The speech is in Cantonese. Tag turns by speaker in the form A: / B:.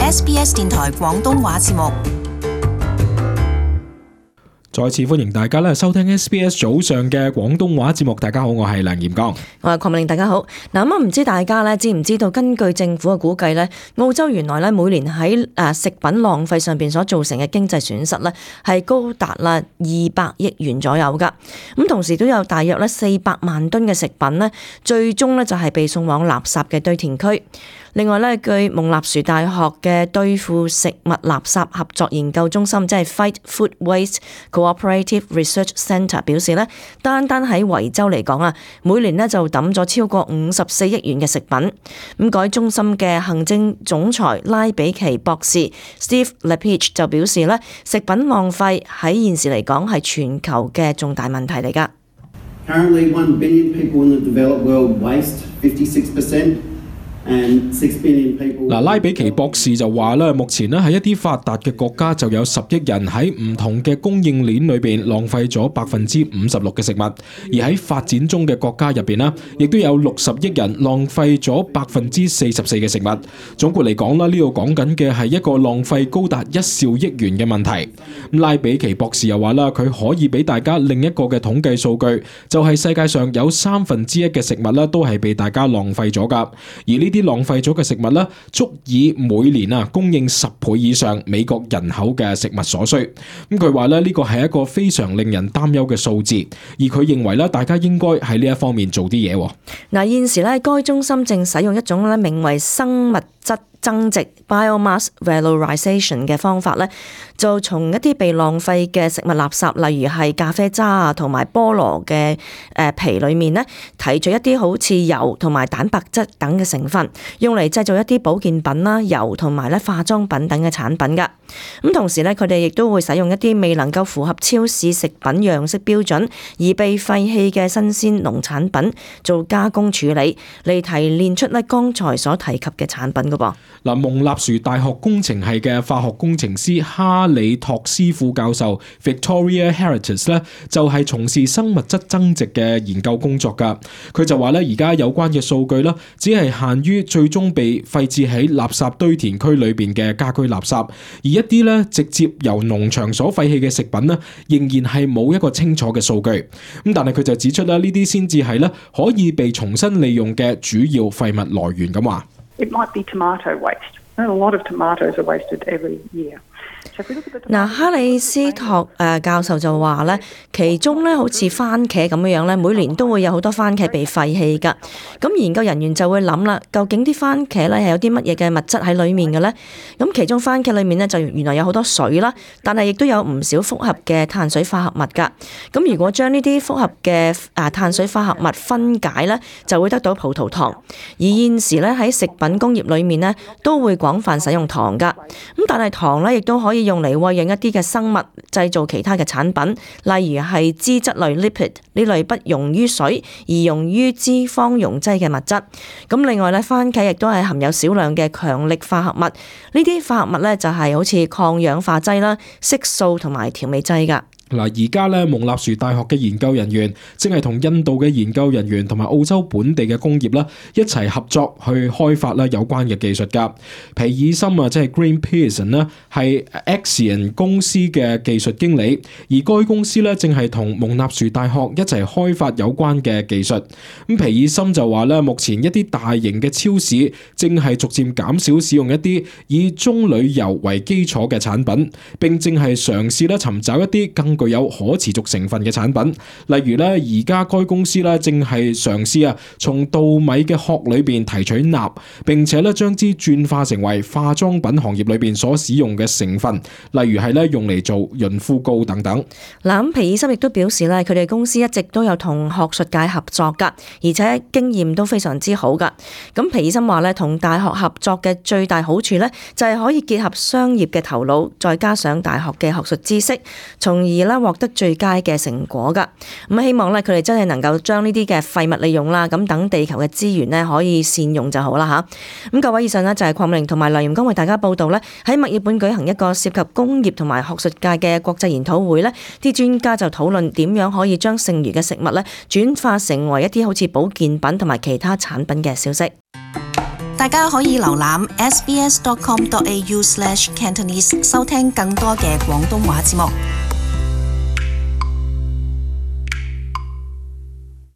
A: SBS 電台廣東話節目。
B: 再次歡迎大家咧收聽 SBS 早上嘅廣東話節目。大家好，我係梁炎剛，
C: 我係鄺美玲。大家好。嗱，咁唔知大家咧知唔知道？根據政府嘅估計咧，澳洲原來咧每年喺食品浪費上邊所造成嘅經濟損失咧係高達啦200億元左右噶。咁同時都有大約咧400萬噸嘅食品咧，最終咧就係被送往垃圾嘅堆填區。另外咧，據蒙納殊大學嘅對付食物垃圾合作研究中心，即係 Fight Food Waste Cooperative Research Centre 表示咧，單喺維州嚟講啊，每年咧就抌咗超過54億元嘅食品。咁該中心嘅行政總裁拉比奇博士 Steve Lepage 就表示咧，食品浪費喺現時嚟講係全球嘅重大問題嚟㗎。
D: Currently, 1 billion people in the developed world waste 56%.
B: 拉比奇博士就話咧，目前咧喺一啲發達嘅國家就有10億人喺唔同嘅供應鏈裏邊浪費咗56%嘅食物，而喺發展中嘅國家入邊咧，亦都有60億人浪費咗44%嘅食物。總括嚟講啦，呢度講緊嘅係一個浪費高達1兆億元嘅問題。拉比奇博士又話啦，佢可以俾大家另一個嘅統計數據，就係世界上有1/3嘅食物咧都係被大家浪費咗噶，而呢啲浪費咗嘅食物咧，足以每年供應10倍以上美國人口嘅食物所需。咁佢話咧，呢個係一個非常令人擔憂嘅數字，而佢認為咧，大家應該喺呢一方面做啲嘢。
C: 嗱，現時咧，該中心正使用一種咧名為生物質增值 biomass valorization 嘅方法咧，就從一啲被浪費嘅食物垃圾，例如係咖啡渣啊同埋菠蘿嘅皮裏面咧，提取一啲好似油同埋蛋白質等嘅成分，用嚟製造一啲保健品啦、油同埋咧化妝品等嘅產品噶。咁同時咧，佢哋亦都會使用一啲未能夠符合超市食品樣式標準而被廢棄嘅新鮮農產品做加工處理，嚟提煉出咧剛才所提及嘅產品噶噃。
B: 嗱，蒙納殊大學工程系嘅化學工程師哈里托斯副教授 Victoria Heritage 咧，就係從事生物質增值嘅研究工作噶。佢就話咧，而家有關嘅數據咧，只係限於最終被廢置喺垃圾堆填區裏邊嘅家居垃圾，而一啲咧直接由農場所廢棄嘅食品咧，仍然係冇一個清楚嘅數據。咁但係佢就指出咧，呢啲先至係咧可以被重新利用嘅主要廢物來源咁話。
E: It might be tomato waste. A lot of tomatoes are wasted every year.
C: 嗱，哈里斯托教授就話咧，其中咧好似番茄咁樣咧，每年都會有好多番茄被廢棄噶。咁研究人員就會諗啦，究竟啲番茄咧係有啲乜嘢嘅物質喺裡面嘅咧？咁其中番茄裡面咧就原來有好多水啦，但係亦都有唔少複合嘅碳水化合物噶。咁如果將呢啲複合嘅碳水化合物分解咧，就會得到葡萄糖。而現時咧喺食品工業裡面咧都會廣泛使用糖噶。咁但係糖咧亦都可以用嚟餵養一啲嘅生物，製造其他嘅產品，例如係脂質類 lipid 呢類不溶於水而溶於脂肪溶劑嘅物質。咁另外咧，番茄亦都係含有少量嘅強力化合物，呢啲化合物咧就係好似抗氧化劑啦、色素同埋調味劑噶。
B: 嗱，而家咧蒙納殊大學嘅研究人員正係同印度嘅研究人員同埋澳洲本地嘅工業啦一齊合作去開發啦有關嘅技術噶。皮爾森即係 Green Pearson 咧係 Axion 公司嘅技術經理，而該公司咧正係同蒙納殊大學一齊開發有關嘅技術。咁皮爾森就話咧，目前一啲大型嘅超市正係逐漸減少使用一啲以棕櫚油為基礎嘅產品，並正係嘗試咧尋找一啲更具有可持續成分嘅產品，例如咧，而家該公司咧正係嘗試從稻米嘅殼裏邊提取鈉，並且咧將之轉化成為化妝品行業裏邊所使用嘅成分，例如係咧用嚟做潤膚膏等等。
C: 嗱，咁皮爾森亦都表示咧，佢哋公司一直都有同學術界合作噶，而且經驗都非常之好噶。咁皮爾森話咧，同大學合作嘅最大好處咧，就係可以結合商業嘅頭腦，再加上大學嘅學術知識，從而獲得最佳嘅成果噶。咁希望咧佢哋真係能夠將呢啲嘅廢物利用啦，咁等地球嘅資源咧可以善用就好啦吓。咁各位，以上呢就係鄺美玲同埋梁炎剛為大家報道咧，喺墨爾本舉行一個涉及工業同埋學術界嘅國際研討會咧，啲專家就討論點樣可以將剩餘嘅食物咧轉化成為一啲好似保健品同埋其他產品嘅消息。
A: 大家可以瀏覽 sbs.com.au/Cantonese 收聽更多嘅廣東話節目。